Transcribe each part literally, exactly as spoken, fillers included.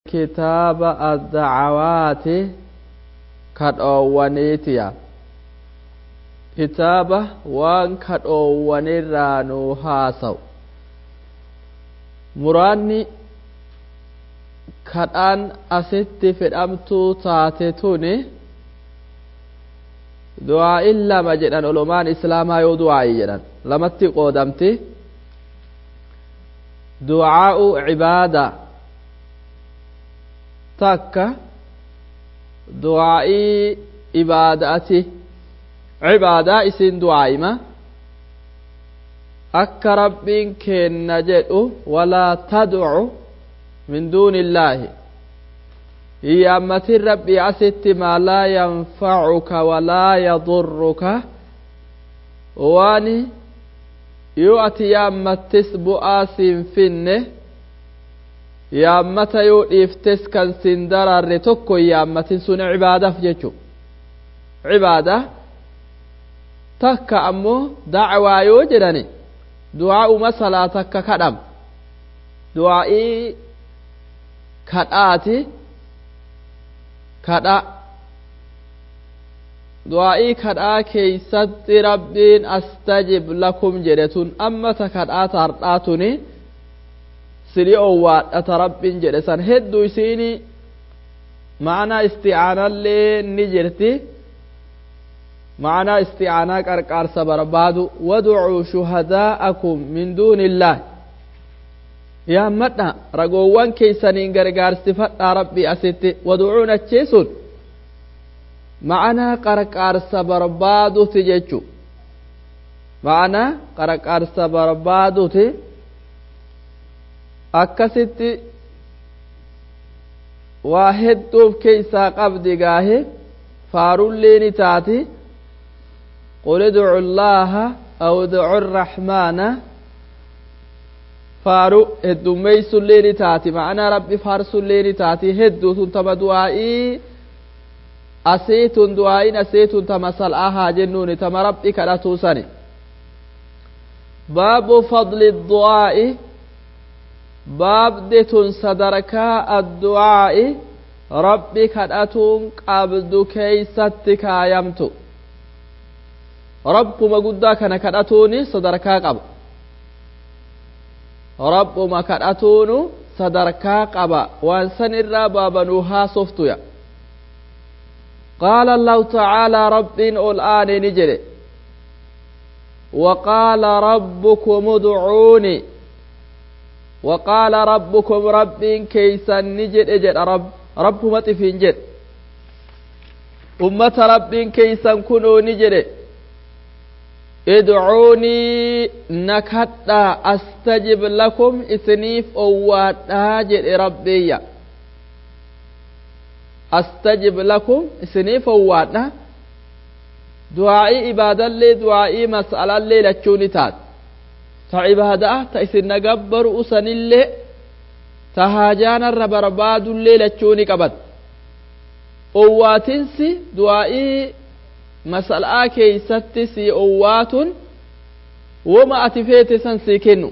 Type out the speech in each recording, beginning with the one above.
Kitaaba addacawaati kadhoowwaniitiya. Kitaaba waan kadhoowwanirraa nuu haasawu. Muraanni kadhaan asitti fedhamtuu taate tuni du'aa'in lama jedhan. Ulamaan islaamaa yoo du'aa'i jedhan lamatti qoodamti. Du'aa'u cibaada takka, du'aa'ii ibaadaati. Cibaadaa isin du'aa'ima akka Rabbiin kenna jedhu: walaa tad'u min duuni illaahi, hiyyaammatin Rabbii asitti maa laa yanfacuka walaa yadurruka, waan yoo ati yaammattis bu'aa siin finne, yaammata yoo dhiiftes kan siin dararre tokko yaammatin. Sun cibaadaaf jechu. Cibaada takka ammoo dacwaa yoo jedhani, du'aa'uma salaa takka kadham, du'aa'ii kadhaati. Kadha, du'aa'ii kadhaa keeysatti Rabbiin astajib lakum jedhe. Tun amma ta kadhaa tardhaa tuni sili owwaadhata Rabbiin jedhe san hedduu isiini ma'anaa isti'aanallee ni jirti, ma'anaa isti'aanaa qarqaarsa barbaadu. Wad'uu shuhadaa'akum min duuni illaah, yaammadha ragoowwan keeysaniin gargaarsifadhaa. Rabbii asitti wad'uun achii sun ma'anaa qarqaarsa barbaaduti jechu, ma'anaa qarqaarsa barbaaduti. Akkasitti waa hedduuf keeysaa qabdi. Gaahe faarullee ni taati: qul idcu llaaha aw idcu arraxmaana. Faaru heddummeeysullee ni taati, ma'anaa Rabbi faarsullee ni taati. Hedduu tun tama du'aa'ii asii tun, du'aa'iin asii tun tama sal'aa haa jennuuni, tama Rabbi kadhatuu sani. Baabu fadli du'aa'i, baabdi tun sadarkaa addu'aa'i Rabbi kadhatuun qabdu keeysatti kaayamtu. Rabbuma guddaa kana kadhatuuni sadarkaa qaba. Rabbuma kadhatuunu sadarkaa qaba, waan san irraa baabanuu haasoftuya. Qaala Allahu tacaalaa, Rabbiin ol aane ni jedhe: وقال ربكم ادعوني، وقال ربكم، ربين كيسا نجد اجد رب رب مطفين جد أمة ربين كيسا كنوا نجد: ادعوني، نكتا، أستجب لكم، إسنيف أوات جد ربي. أستجب لكم، إسنيف أواتنا. Du'aa'ii ibaadallee, du'aa'ii mas'alallee lachuuni taat. Ta ibaadaa ta isin nagabbaru usanillee, ta haajaanarra barbaadullee lachuuni qabat. Owwaatinsi du'aa'ii mas'alaa keeysatti si owwaatun woma ati feete san sii kennu,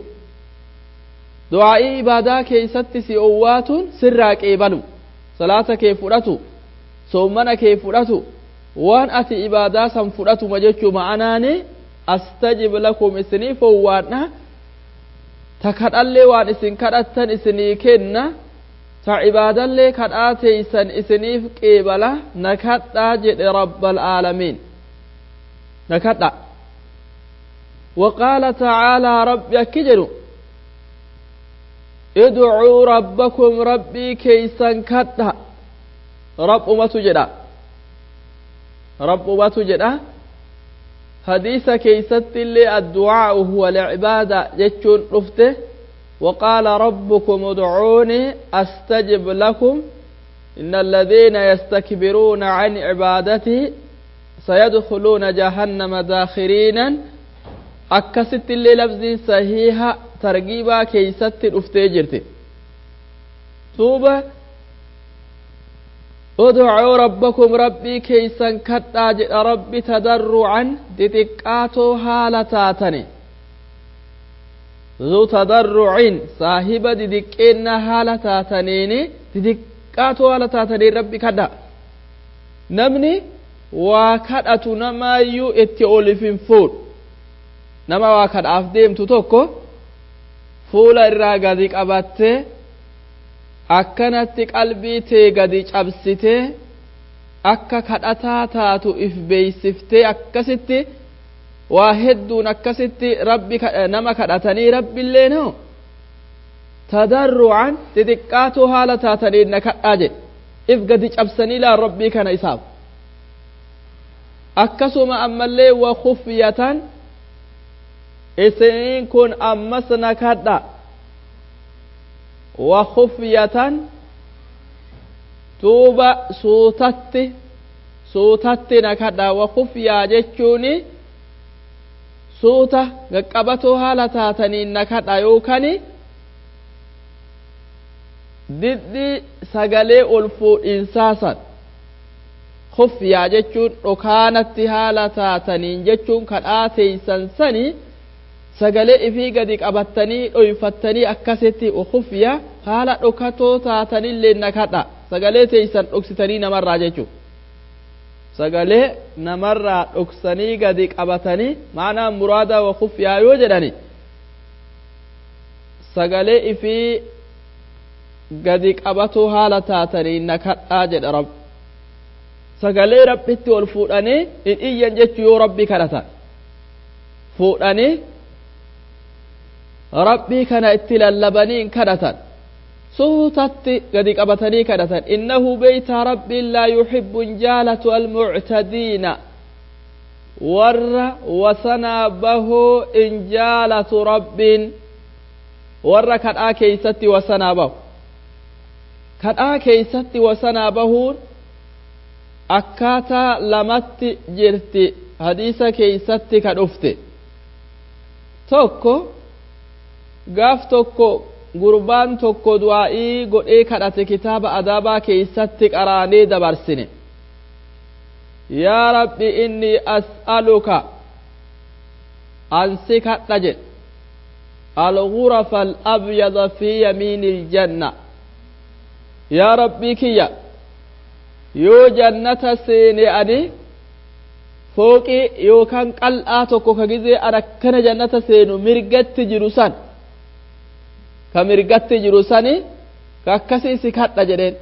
du'aa'ii ibaadaa keeysatti si owwaatun sirraa qeebalu, salaata kee fudhatu, soommana kee fudhatu, waan ati ibaadaa san fudhatuma jechuu. Ma'anaani astajib lakum, isiniif owwaadha. Ta kadhallee waan isin kadhattan isinii kenna, ta ibaadallee kadhaa teeysan isiniif qeebala. Na kadhaa jedhe rabbal aalamiin, na kadha. وقال تعالى، ربي أكجلو: ادعوا ربكم، ربي كيسا كدها. رب ما تجدا، رب ما تجدا. حديث كيست اللي الدعاء هو العبادة جتشون رفته. وقال ربكم ادعوني أستجب لكم إن الذين يستكبرون عن عبادتي سيدخلون جهنم داخرين. أكست اللي لفظ صحيحة ترغيبا كيست رفته جرت توبة. ادعوا ربكم، ربي كيسا كتا ربي، تضرعا، دتقاتو هالتاتني، ذو تضرع، صاحب ددقين هالتاتنيني. Xixiqqaatoo haala taataniin Rabbi kadha. Namni waa kadhatu namaayyuu itti olif hin fuudhu. Nama waa kadhaaf deemtu tokko fuula irraa gadi qabattee akkanatti qalbii tee gadi cabsitee akka kadhataa taatu if beeysiftee akkasitti waa hedduun akkasitti Rabbi nama kadhatanii Rabbiillee noo tadarru'an xixiqqaatoo haala taataniin na kadhaa jedhe. If gadi cabsanii laan Rabbii kana isaaf. Akkasuma ammallee wa khufyatan, isiniin kun ammas na kadha. Wa khufyatan, duuba suutatti suutatti na kadha. Wa khufyaa jechuuni suuta qaqqabatoo haala taataniin na kadha, yookaan diddi sagalee ol fuudhinsaa san. Khufyaa jechuun dhokaanatti haala taataniin jechuun kadhaa teeysan sanii sagalee ifii gadi qabattanii dhoyfattanii akkasitti khufyaa haala dhokatoo taatanillee na kadha. Sagalee teeysan dhoksitanii namarraa jechuun sagalee namarraa dhoksanii gadi qabatanii, maanaa muraada wa khufyaa yoo jedhani sagalee ifii gadi qabatoo haala taatanii na kadhaa jedha Rabbi. Sagalee Rabbitti ol fuudhanii hin iyyan jechuu yoo Rabbi kadhatan fuudhanii Rabbii kana itti lallabanii hin kadhatan, suutatti gadi qabatanii kadhatan. Innahu beeytaa Rabbiin laa yuhibbu hin jaalatu almuctadiina, warra wasanaa bahoo hin jaalatu Rabbiin, warra kadhaa keeysatti wasanaa bahu. Kadhaa keeysatti wasanaa bahuun akkaataa lamatti jirti hadiisa keeysatti ka dhufte. Tokko gaaf tokko gurbaan tokko du'aa'ii godhee kadhate, kitaaba adaabaa keeysatti qaraanee dabarsine. Yaa Rabbi, inni as'aluka, ansi kadha jedhe, al-ghurafa al-abyada fi yamiini aljanna. Yaa Rabbii kiyya, yoo jannata seene ani fooqii yookaan qal'aa tokko ka gizee an akkana jannata seenu mirgatti jiru san, ka mirgatti jiru sani ka akkasii si kadha jedheen.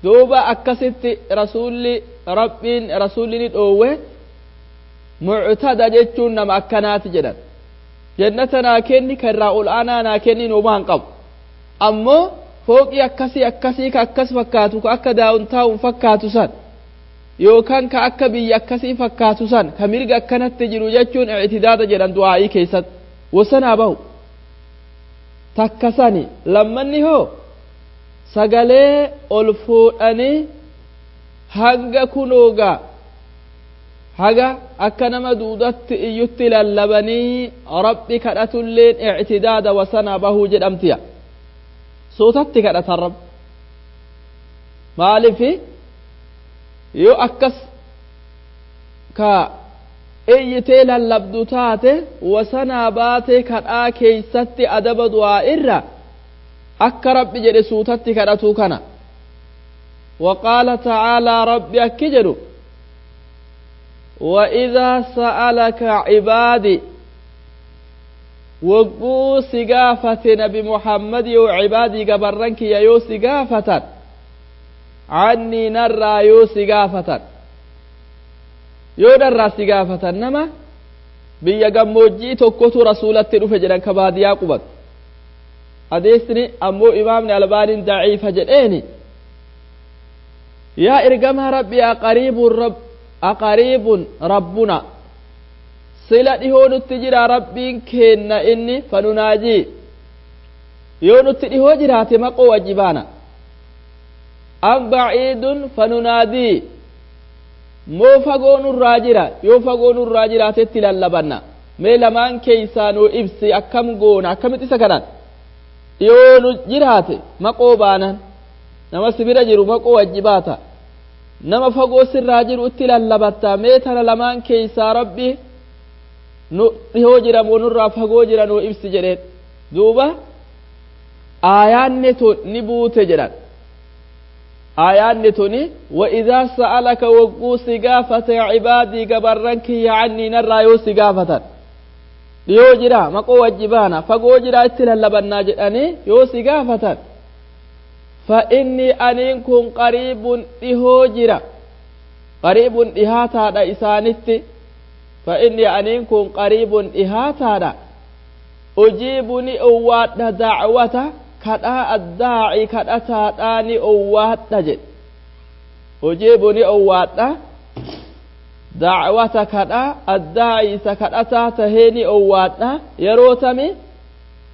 Duuba akkasitti rasuulli Rabbiin rasuulli ni dhoowwe. Muctada jechuun nama akkanaati jedhan. Jannata naa kenni, ka irraa ol aanaa naa kenni homaa hin qabu, ammoo fooqii akkasii akkasii ka akkas fakkaatu, ka akka daawuntaawun fakkaatu san, yookaan ka akka biyya akkasii fakkaatu san, ka mirga akkanatti jiru jechuun ictidaada jedhan du'aa'ii keessatti wasanaa bahu takka sani. Lammanni hoo sagalee ol fuudhanii hanga kunoogaa haga akka nama duudatti iyyutti lallabanii Rabbi kadhatulleen ictidaada wasanaa bahuu jedhamtiya. Suutatti kadhatan Rabbi. Maalifi yoo akkas ka iyyitee lallabdu taate wasanaa baatee kadhaa keeysatti adaba du'aa irra akka Rabbi jedhe suutatti kadhatuu kana. وقال تعالى ربي أكجر وإذا سألك عبادي، وقو سقافة نبي محمد يو عبادي قبرنك يا يو سقافة عني نرى يو سقافة يو نرى سقافة نما biyya gammoojjii tokkotu rasuulatti dhufe jedhan, ka baadiyaa qubatu. Adeesni ammoo imaamni Albaaniin daciifa jedheeni. Yaa ergamaa Rabbi, aqariibun rab aqariibun rabbuna, sila dhihoo nutti jira Rabbiin keenna inni fanunaajii, yoo nutti dhihoo jiraate maqoo wajji baana, am baciidun fanunaadii, moo fagoo nurraa jira, yoo fagoo nurraa jiraatetti lallabanna, mee lamaan keeysaa nuu ibsi, akkam goona, akkamitti isa kadhan? Yoo nu jiraate maqoo baanan, nama si bira jiru maqoo wajji baata, nama fagoo sirraa jiru itti lallabatta, mee tana lamaan keeysaa Rabbi nu dhihoo jira moo nurraa fagoo jira nuu ibsi jedheen. Duuba aayaanni tun ni buute jedhan. Aayaanni tuni وإذا سألك wogguu si gaafate عبادي gabarran kiyya عني narraa yoo si gaafatan dhiyoo jira maqoo wajji baana fagoo jira itti lallabannaa jedhanii yoo si gaafatan فإني aniin kun قريب dhihoo jira قريب dhihaataadha isaanitti فإني aniin kun قريب dhihaataadha أجيب ni owwaadha دعوة kadhaa الداعي kadhataadhaa ni owwaadha jedhe أجيب ni owwaadha دعوة kadhaa الداعي isa kadhataa tahee ni owwaadha yeroo tami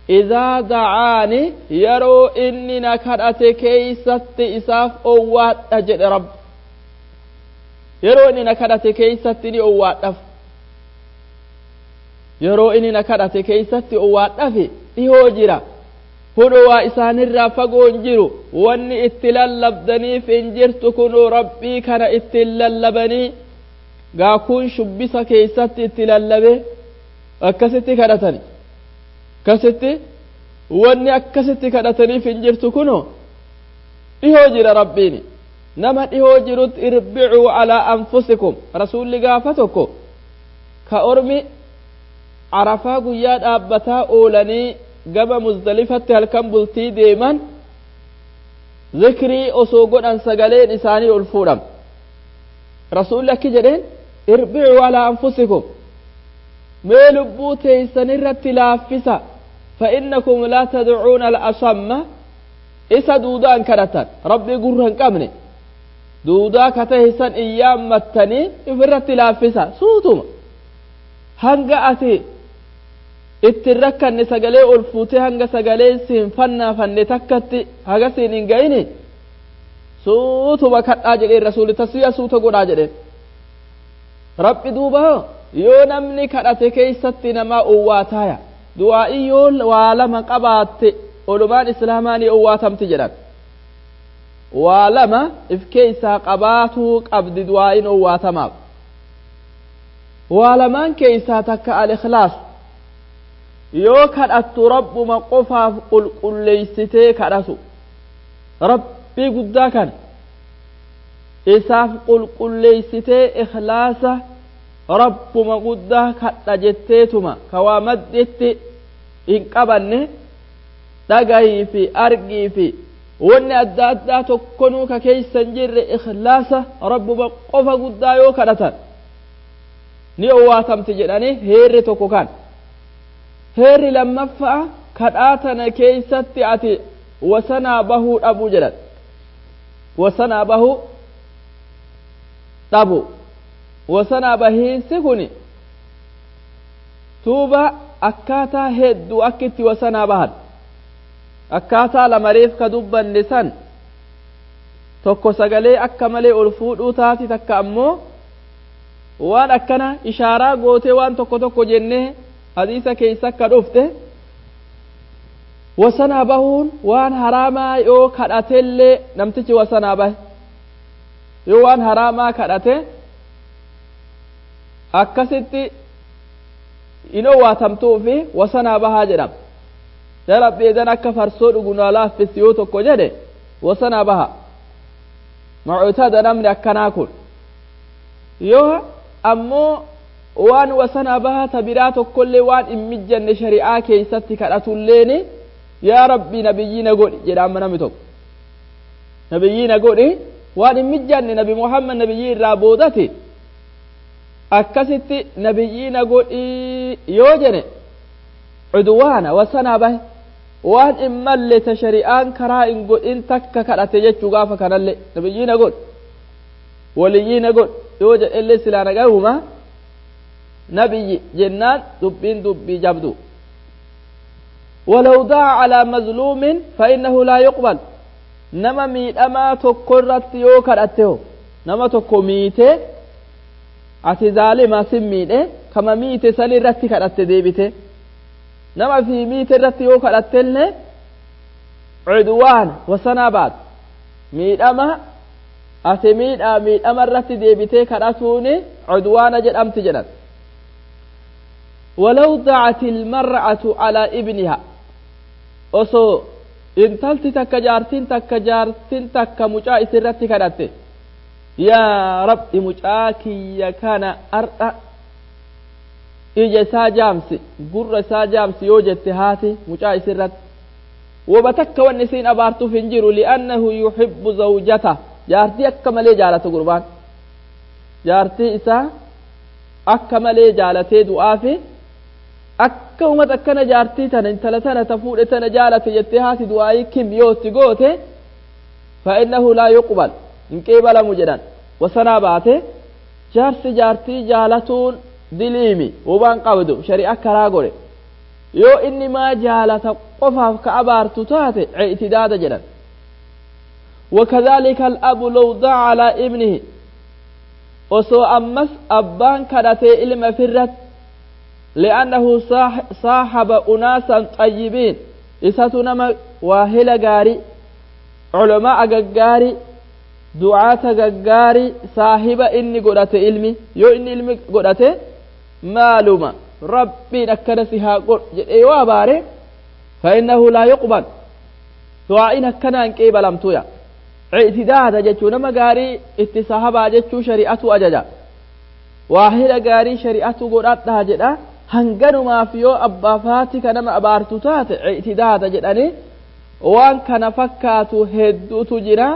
إذا دعان yeroo inni na kadhate keeysatti isaaf owwaadha jedhe rabbi yeroo inni na kadhate keeysatti ni owwaadhaf yeroo inni na kadhate keeysatti owwaadhafi dhihoo jira kunoo waa isaanirraa fagoo hin jiru wanni itti lallabdaniif hin jirtu kunoo rabbii kana ittiin lallabanii gaakuun shubbisa keeysatti itti lallabe akkasitti kadhatani akkasitti wanni akkasitti kadhataniif hin jirtu kunoo dhihoo jira rabbiini nama dhihoo jirutti اربعوا على أنفسكم rasuulli gaafa tokko ka ormi Arafaa guyyaa dhaabbataa oolanii gama Muzdalifatti halkan bultii deeman zikrii osoo godhan sagaleen isaanii ol fuudham rasuulli akki jedheen اربعوا على أنفسكم mee lubbuu teeysan irratti laaffisa فإنكم لا تدعون الأصم isa duudaan kadhatan rabbii gurra hin qabne duudaa ka tahe san iyyaammattanii ifirratti laaffisa suutuma hanga ati ittiin rakkanne sagalee ol fuutee hanga sagalee siin fannaafanne takkatti haga siin hin ga'ini suutuma kadhaa jedheen rasuuli taswiya suuta godhaa jedheen rabbi duuba yoo namni kadhate keeysatti namaa owwaataaya du'aa'ii yoo waa lama qabaatte olumaan islaamaa ni owwaatamti jedhan waa lama if keeysaa qabaatuu qabdi du'aa'iin owwaatamaaf waa lamaan keeysaa takka al-ikhlaas yoo kadhattu rabbuma qofaaf qulqulleeysitee kadhatu rabbii guddaa kana isaaf qulqulleeysitee ikhlaasa rabbuma guddaa kadha jetteetuma ka waa madditti hin qabanne dhagayii fi argii fi wanni adda addaa tokkonuu ka keeysa hin jirre ikhlaasa rabbuma qofa guddaa yoo kadhatan ni owwaatamti jedhanii heerri tokko kan heerri lammaffaa kadhaa tana keeysatti ati wasanaa bahuu dhabuu jedhan wasanaa bahuu dhabu wasanaa bahiinsi kun tuuba akkaataa hedduu akka itti wasanaa bahan akkaataa lamareef ka dubbanne san tokko sagalee akka malee ol fuudhuu taati takka ammoo waan akkana ishaaraa gootee waan tokko tokko jennee hadiisa keeysa akka dhufte wasanaa bahuun waan haraamaa yoo kadhatellee namtichi wasanaa bahe yoo waan haraamaa kadhate akkasitti in owwaatamtuu fi wasanaa bahaa jedhama yaa rabbi edan akka farsoo dhugu naa laaffisi yoo tokko jedhe wasanaa baha muctada namni akkanaa kun yoo ammoo waan wasanaa bahaa ta biraa tokkollee waan hin mijjanne shari'aa keeysatti kadhatulleeni yaa rabbi nabiyyii na godhi jedha amma namni tokko nabiyyii na godhi waan hin mijjanne nabi muhammad nabiyyii irraa boodati akkasitti nabiyyii na godhi yoo jedhe cudwaana wasanaa bahe waan hin malle ta shari'aan karaa hin godhin takka kadhate jechuu gaafa kanallee nabiyyii na godhi waliyyii na godhi yoo jedhellee silaa nagahuma nabiyyi jennaan dubbiin dubbii jabdu ولو دعا على مظلوم فإنه لا يقبل nama miidhamaa tokko irratti yoo kadhatte ho nama tokko miite ati zaalima sin miidhe kama miite san irratti kadhatte deebite nama fi miite irratti yoo kadhattellee cudwaan wasanaa baat miidhama ati miidhaa miidhama irratti deebitee kadhatuuni cudwaana jedhamti jedhan ولو دعت المرأة على ابنها osoo Intalti takka jaartiin takka jaartiin takka mucaa isirratti kadhatte, yaa Rabbi, mucaa kiyya kana ardha ija isaa jaamsi, gurra isaa jaamsi yoo jette haati mucaa isirratti, waba takka wanni isiin abaartuuf hin jiru. Li'annahu yuhibbu zawjata, jaartii akka malee jaalatu, gurbaan jaartii isaa akka malee jaalatee du'aafi akka umat akkana jaartii tana, intala tana ta fuudhe tana jaalate jettee haati du'aayii kim yootti goote, fa'innahu laa yuqbal, hin qeebalamu jedhan. Wasanaa baate jaarsi jaartii jaalatuun diliimi hubaan qabdu, shari'a karaa godhe. Yoo inni maa jaalata qofaaf ka abaartu taate, ictidaada jedhan. وكذلك الأب لو دعا على ابنه, osoo ammas abbaan kadhatee ilma firrat, لأنه صاحب أناسا طيبين, isatu nama waahila gaarii, culamaa gaggaarii, du'aata gaggaarii saahiba inni godhate, ilmi yoo inni ilmi godhate, maaluma Rabbiin akkana si haa godhu jedhee yoo abaare, فإنه لا يقبل, du'aa'iin akkanaan qeebalamtuya. Ictidaada jechuu nama gaarii itti sahabaa jechuu shari'atu ajaja, waahila gaarii shari'atu godhadhaa jedha. Hanganumaaf yoo abbaaf haati ka nama abaartu taate, ictidaada jedhanii waan kana fakkaatu hedduutu jira.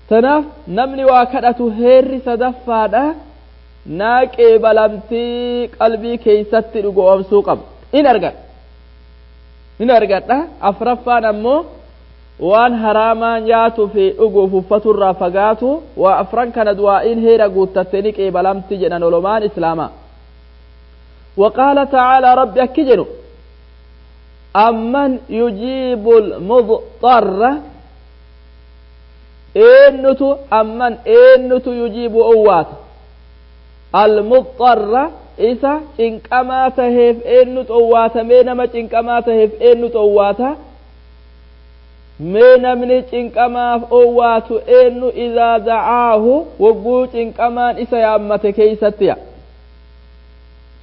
Tanaaf namni waa kadhatu heerri sadaffaadha naa qeebalamtii qalbii keeysatti dhugoomsuu qaba, in argadha, in argadha. Afraffaan ammoo waan haraamaa nyaatuu fi dhuguuf uffaturraa fagaatu. Waa afran kana du'aa'iin heera guuttatte ni qeebalamti jedhan olomaan islaamaa. وقال تعالى, ربي أكجن: أمن يجيب المضطر, eennutu, أمن eennutu, يجيب owwaata, المضطر isa cinqamaa taheef eennutu owwaata? Mee nama cinqamaa taheef eennutu owwaata? Mee namni cinqamaaf owwaatu eennu? إذا دعاه, wogguu cinqamaan isa yaammate keeysattiya.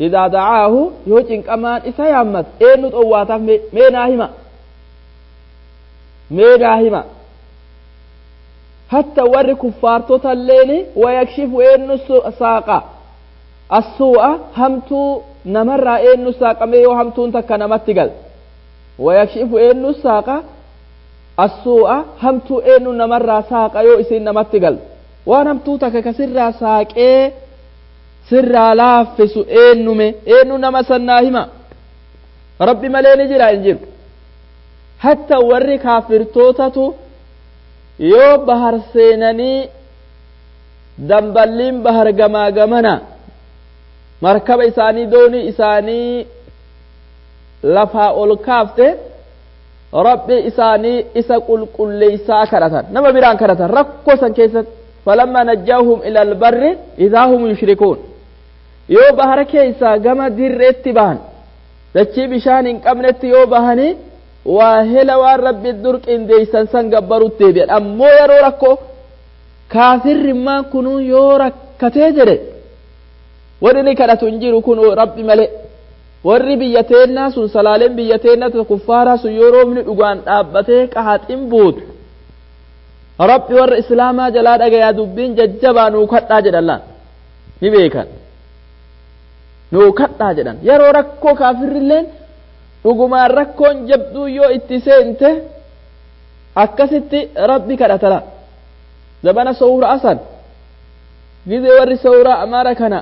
إذا دعاه, yoo cinqamaan isa yaammate eennutu owwaataaf? Mee naa hima, mee naa hima. Hatta warri kuffaartota illeeni, ويكشف eennu saaqa, السوء hamtuu namarraa eennu saaqamee yoo hamtuun takka namatti gal? ويكشف eennu saaqa, السوء hamtuu eennu namarraa saaqa yoo isiin namatti gal? Waan hamtuu takka ka sirraa saaqee sirraa laaffisu eennume? Eennu nama sannaa hima? Rabbi malee ni jira? Hin jiru. Hatta warri kaafirtootatu yoo bahar seenanii damballiin bahar gamaa gamana markaba isaanii, doonii isaanii lafaa ol kaafte, Rabbi isaanii isa qulqulleeysaa kadhatan, nama biraan kadhatan rakkoo san keessatti. فلما نجاهم إلى البر إذا هم يشركون. Yoo bahara keessaa gama dirreetti bahan, dachii bishaan hin qabnetti yoo bahanii, waa hela waan Rabbi dur qindeeysan san gabbarutti deebi'an. Ammoo yeroo rakkoo kaafirrimmaan kunuu yoo rakkatee jedhe, warri ni kadhatu hin jiru kun Rabbi malee. Warri biyya teennaa sun, salaaleen biyya teennaa kuffaaraa sun, yoo roobni dhugaan dhaabbatee qahaxin buutu, Rabbi warra islaamaa jalaa dhagayaa, dubbiin jajjabaa nuu kadhaa jedhan laan ni beekan, nuu kadhaa jedhan. Yeroo rakkoo kaafirrilleen dhugumaan rakkoon jabduu yoo itti seente akkasitti Rabbi kadhatala. Zabana sowra asan gizee warri sowraa Amaara kana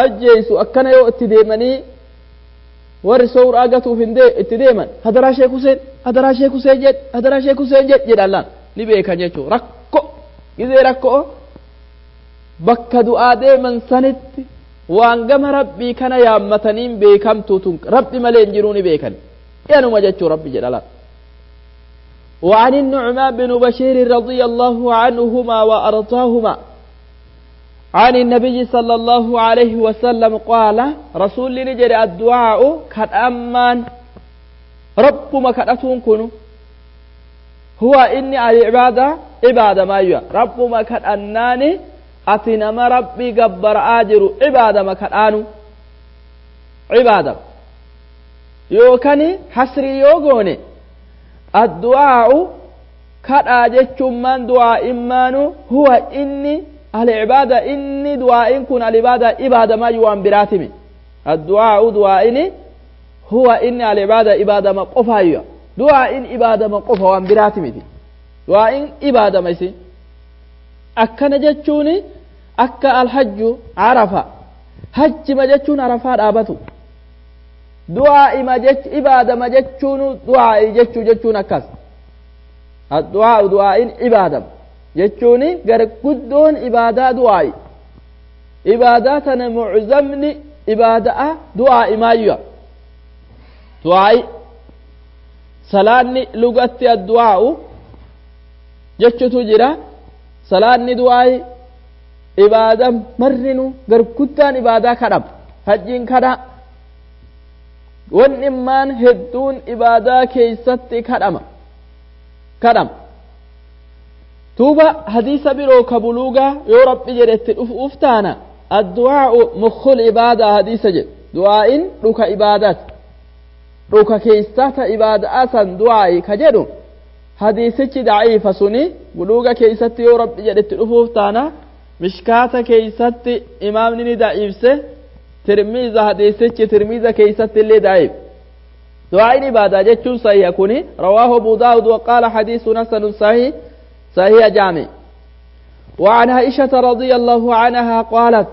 ajjeeysu akkana yoo itti deemanii, warri sowraa gatuuf hin itti deeman, "Hadaraa Sheek Huseen, hadaraa Sheek Huseen jedh, hadaraa Sheek Huseen jedh" jedhan laan ni beekan jechuu. Rakko gizee rakkoo bakka du'aa deeman sanitti waan gama Rabbii kana yaammataniin beekamtu tun Rabbi malee hin jiruu ni beekan yanuma jechuu Rabbi jedha laan. وعن النعمان بن بشير رضي الله عنهما وأرضاهما عن النبي صلى الله عليه وسلم قال, رسول نجر: الدعاء كأمان رب ما كأتون كنو هو إني العبادة عبادة ما يا رب ما كأناني أتنما ربي قبر آجر عبادة ما كأنو عبادة يوكني حسري يوغوني. Addu'aa'u kadhaa jechuun maan du'aa'immaanu huwa inni al-cibaada inni du'aa'in kun al-ibaada ibaadamaayu waan biraatimi. Addu'aa'u du'aa'ini huwa inni al-cibaada ibaadama qofaayya. Du'aa'in ibaadama qofa waan biraatimiti. Du'aa'in ibaadama isin. Akkana jechuun akka alhajju arafa. Hajjima jechuun arafaa dhaabatu. Du'aa'ima jech ibaadama jechuun du'aa'i jechuu jechuun akkas. Addu'aa'u du'aa'in ibaadama jechuun garguddoon ibaadaa du'aa'i. Ibaadaa tana muczamni ibaadaa du'aa'imaayya. Du'aa'i salaanni lugatti addu'aa'u jechutu jira. Salaanni du'aa'i ibaada marrinu garguddaan ibaadaa kadhama. Hajjiin kadhaa. Wanni immaan hedduun ibaadaa keeysatti kadhama. Kadhama. Tuuba hadiisa biroo ka buluugaa yoo rabbi jedhetti dhufuuf taana addu'aa'u mukhul ibaadaa hadiisa jedhu. Du'aa'in dhuka ibaadaati. Dhuka keeysaa ta ibaadaa san du'aa'i ka jedhu hadiisichi daciifa suni buluuga keeysatti yoo rabbi jedhetti dhufuuf taana mishkaata keeysatti imaamni ni daciifse. Tirmiiza hadiisichi tirmiiza keeysatti illee daciif. Du'aa'iin ibaadaa jechuun sahiha kuni rawaahu Abu Daawud wa qaala hadiisun hasanun sahih sahiha jaami. وعن عائشة رضي الله عنها قالت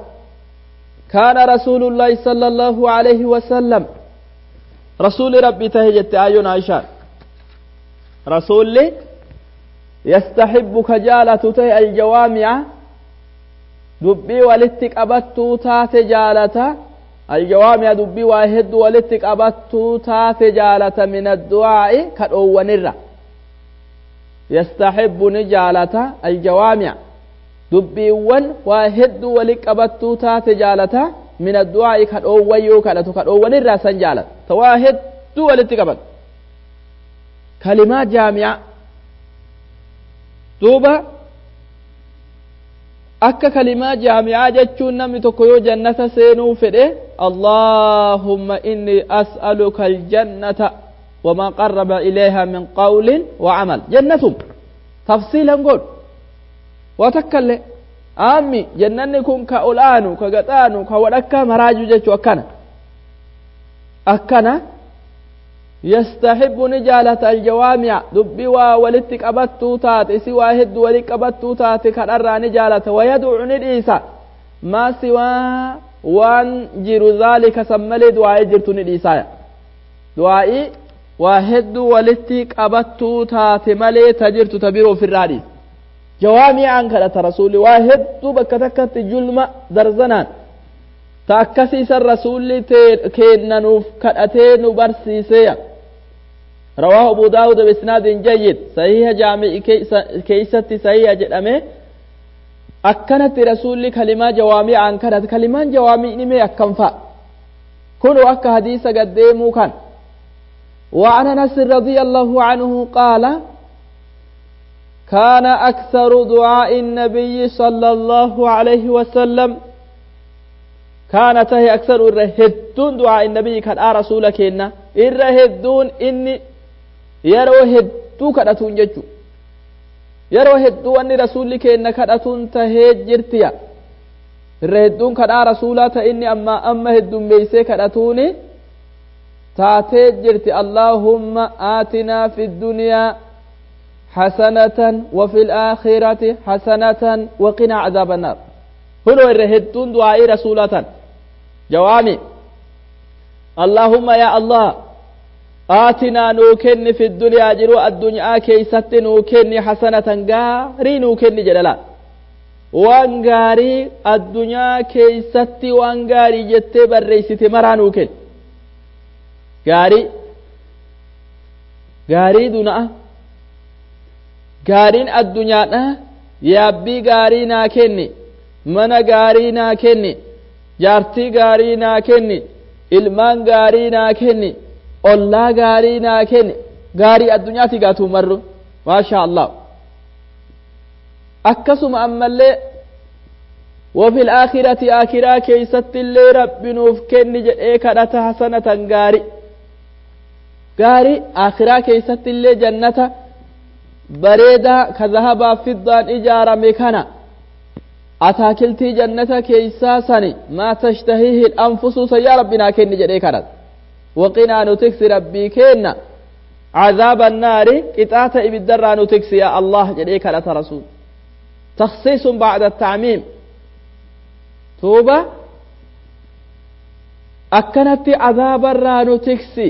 كان رسول الله صلى الله عليه وسلم رسول ربي تهجت آيون عائشة رسول يستحب كجالة تهي الجوامع دبي ولتك أبتو تات جالة الجوامع دبي واحد ولتك أبتو تات جالة من الدعاء كالأول يستحب نجالة الجوامع دبي واحد ولك أبتو تات جالة من الدعاء كالأول يوكالة كالأول الرأسا جالة تواهد ولتك أبت كلمات جامعة دوبا akka kalimaa jaami'aa jechuun namni tokko yoo jannata seenuu fedhe Allahumma inni as'aluka aljannata wamaa qarraba ilayha min qawlin wa amal jannatum tafsiilan godhu waa takkallee aammi jannanni kun ka ol'aanu ka gaxaanu ka wadhakka maraaju jechuu akkana akkana yastaxibbu ni jaalata aljawaami'a dubbii waa walitti qabattuu taate isi waa hedduu walitti qabattuu taate kadharraa ni jaalata wayad'u ni dhiisa maa siwaa waan jiru zaalika san malee du'aa'ii jirtu ni dhiisaaya du'aa'ii waa hedduu walitti qabattuu taate malee ta jirtu ta biroo ofirraa dhiisa jawaami'aan kadhata rasuulli waa hedduu bakka takkatti julma darzanaan ta akkasiisan rasuulli kennanuuf kadhatee nu barsiiseya رواه أبو داود بإسناد جيد صحيح جامع كيست صحيح جدامه أكنت رسول كلمة جوامع عن كانت كلمة جوامع نمي أكنفا كنوا أك حديث قديمو كان وعن أنس رضي الله عنه قال كان أكثر دعاء النبي صلى الله عليه وسلم كانت هي أكثر الرهدون دعاء النبي كان رسولك إن الرهدون إني yeroo hedduu kadhatuun jechu yeroo hedduu wanni rasuulli keenna kadhatuun tahee jirtiya irra hedduun kadhaa rasuulaa ta inni amma amma heddummeeysee kadhatuuni taatee jirti allaahumma aatinaa fi ddunyaa حسنة وفي الآخرة حسنة وقنا عذاب النار هنا الرهدون دعاء رسولة جوامي اللهم يا الله آتنا نوكن في الدنيا جرو الدنيا كيست نوكن حسنة غاري نوكن جلالا وان غاري الدنيا كيست وان غاري جت بريست مرا نوكن غاري غاري دنا gaariin addunyaadha yaabbii gaarii naa kenni mana gaarii naa kenni jaartii gaarii naa kenni ilmaan gaarii naa kenni ollaa gaarii naa kenni gaarii addunyaati gaatuu marru maasha allah akkasuma ammallee وفي الآخرة آخرة كيست اللي رب نوف كني جئ كدت حسنة غاري Gaarii akhiraa keessatti illee jannata bareedaa ka zahabaa fiddaan ijaarame kana ataakiltii jannata keeysaa sani maa tashtahiihi anfusu san yaa rabbi naa kenni jedhee kadhata. Waqinaa nu tiksi rabbii kenna عذاب النار قطعة إبدرا نتكسي يا الله جديك لا رسول. تخصيص بعد التعميم. توبة أكنت عذاب الرا نتكسي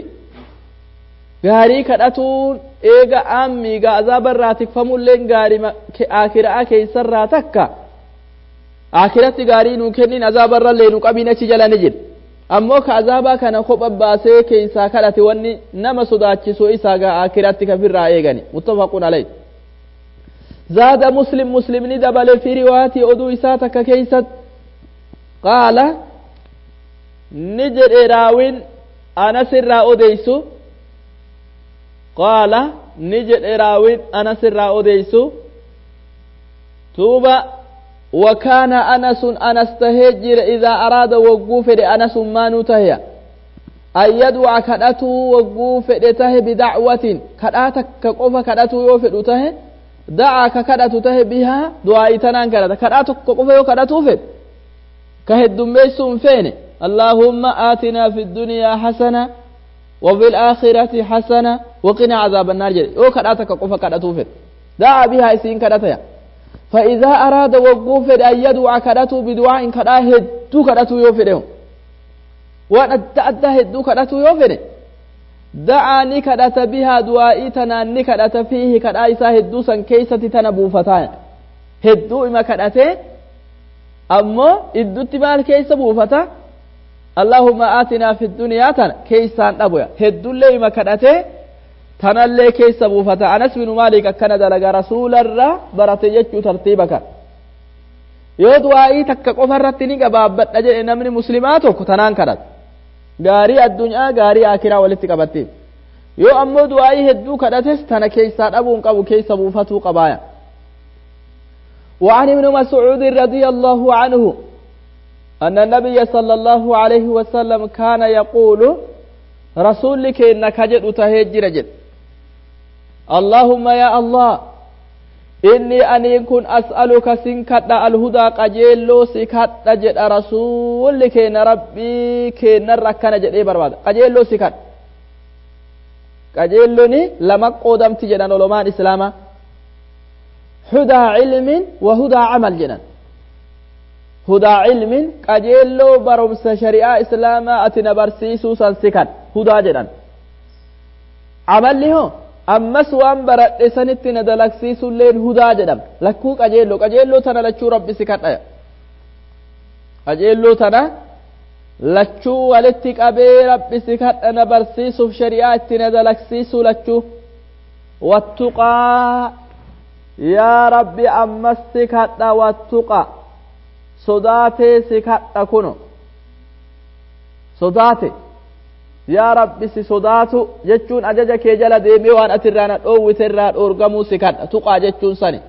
غاري كدتون إيغا أمي غا عذاب الرا تكفمون لين غاري آخر آكي سر تكا آخرت غاري نكنين عذاب الرا لين قبينة جلا نجد ammoo ka azaabaa kana kopha baasee keeysaa kadhate wanni nama sodaachisu isaa gaa akiratti kafirraa eegani. Muttafaqun alayh. Zaada Muslim, Muslimni dabale fi riwaatii oduu isaa takka keeysat qaala ni jedhe raawin Anas irraa odeysu qaala ni jedhe raawin Anas irraa odeysu tuuba وكان أنس أنس تهجر إذا أراد وقوف أنس ما نتهي أن يدعى كدته وقوف ته بدعوة كداتك كقوف كدته يوفد ته دعا كدته ته بها دعاء تنان كدته كداتك كقوف يو فد كهد ميسون فين اللهم آتنا في الدنيا حسنة وفي الآخرة حسنة وقنا عذاب النار يو كداتك كقوف كدته فد دعا بها إسين كدته. فإذا أراد وقوف أن يدعى كدته بدعاء كدا هدو كدته يوفده وأن أدى هدو كدته يوفده دعا نكدت بها دعائي تنا نكدت فيه كدا إسا هدو سن كيسة تنبوفتان هدو إما كدته أما إدو تبال كيسة بوفتا اللهم آتنا في الدنيا تنا كيسان أبويا هدو اللي إما كدته tanallee keessa buufata. Anas bin Maalik akkana dalaga rasuularra barate jechuu tartiiba kan yoo du'aa'ii takka qofa irratti ni gabaabbadha jedhe namni muslimaa tokko tanaan kadhata gaarii addunyaa gaarii akiraa walitti qabatteef. Yoo ammoo du'aa'ii hedduu kadhates tana keessaa dhabuun qabu keessa buufatuu qabaaya. وعن ابن مسعود رضي الله عنه أن النبي صلى الله عليه وسلم كان يقول رسولك إنك جد تهجر جد اللهم يا الله إني أن كن أسألك سنكت الهدى قجيلو سكت جد رسولك إن ربي كن ركنا جد إيه برباد قجيلو سكت قجيلوني لما قدمت جدان علماء الإسلام هدى علم وهدى عمل جنان هدى علم قجيلو برمس شريعة إسلام أتنا برسيسو سنسكت هدى جنان عمل له ammas waan baradhe sanitti na dalagsiisulleen hudaa jedhama. Lakkuu qajeelloo qajeelloo tana lachuu rabbi si kadhaya. Qajeelloo tana lachuu walitti qabee rabbi si kadha na barsiisuuf shari'aa itti na dalagsiisu lachuu. Wattuqaa yaa rabbi ammas si kadha wattuqa sodaatee si kadha kuno sodaate. Yaa rabbi si sodaatu jechuun ajaja kee jala deemee waan ati irraa na dhoowwite irraa dhoorgamuu si kadha tuqaa jechuun sani.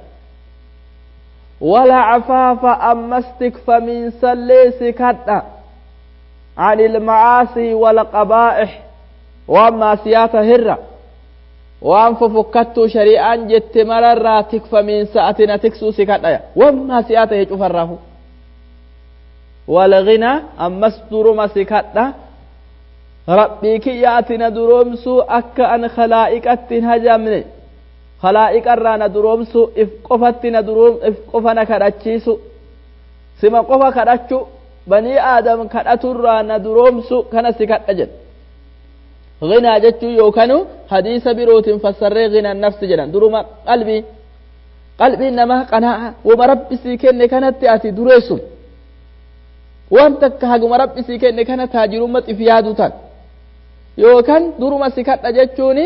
Wala cafaafa ammas tikfamiinsallee si kadha anil macaasii wal qabaa'ix waan maasiyaata hirra waan fofokkattuu shari'aan jette mararraa tikfamiinsa ati na tiksuu si kadhaya waan maasiyaata hee cufarraafu. Wal ghinaa ammas duruma si kadha rabbii kiyya ati na duroomsuu akka an khalaa'iqatti hin hajamne khalaa'iqarraa na duroomsuu if qofatti na duroom if qofa na kadhachiisu sima qofa kadhachu banii aadam kadhaturraa na duroomsu kana si kadha jedha. Ghinaa jechuun yookaanu hadiisa birootiin fassarree ghinaa nafsi jedhan duruma qalbii qalbiin namaa qanaa'a wama rabbi sii kenne kanatti ati dureessu waan takka haguma rabbi sii kenne kana taajirummaa if yaadu tan yookaan duruma si kadha jechuun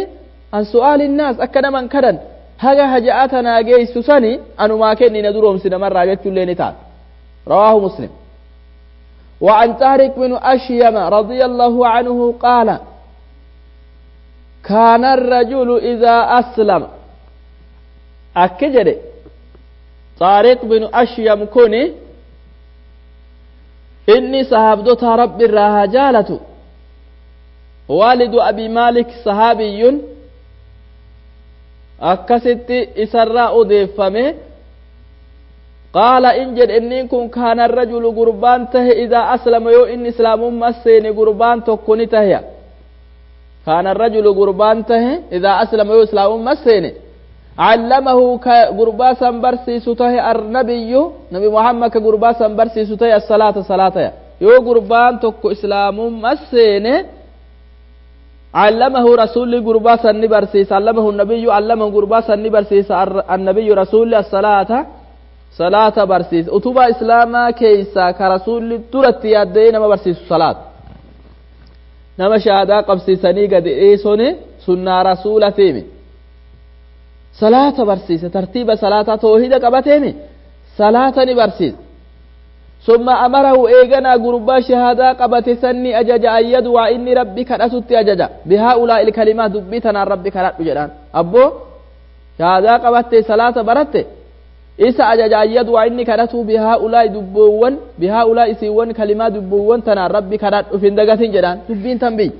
an su'aalinnaas akka naman kadhan haga haja'aa tanaa geessu sani anumaa kenni na duroomsi namarraa jechuullee ni taata. Rawaahu Muslim. وعن طارق بن أشيم رضي الله عنه قال كان الرجل إذا أسلم أكجري طارق بن أشيم كوني إني صحابدوتا رب الراها جالتو والد أبي مالك صحابي أكست إسراء ديفمه قال إن جد إني كن كان الرجل قربان ته إذا أسلم يو إن إسلام مسين قربان تكوني ته كان الرجل قربان ته إذا أسلم يو إسلام مسين علمه كقرباسا برسي سته النبي نبي محمد كقرباسا برسي سته الصلاة صلاة يو قربان تكو إسلام مسين علمه رسول قرباسا نبرسيس علمه النبي علمه قرباسا نبرسيس النبي رسول الصلاة صلاة برسيس أتوبة إسلاما كيسا كرسول ترت يدين ما برسيس صلاة نما شهادة قبسيسني قد إيسوني سنة رسول تيمي صلاة برسيس ترتيب صلاة توحيد قبتيمي صلاة نبرسيس ثم أمره إيغنا قربا شهادة قبت سني أجج أن يدعو إني ربك أتت أجج بهؤلاء الكلمات دبتنا ربك لا جدان أبو شهادة قبت صلاة برت إسا أجج أن يدعو إني كرته بهؤلاء دبوان بهؤلاء سيوان كلمات دبوان تنا ربك لا أفندقة جدان دبين تنبي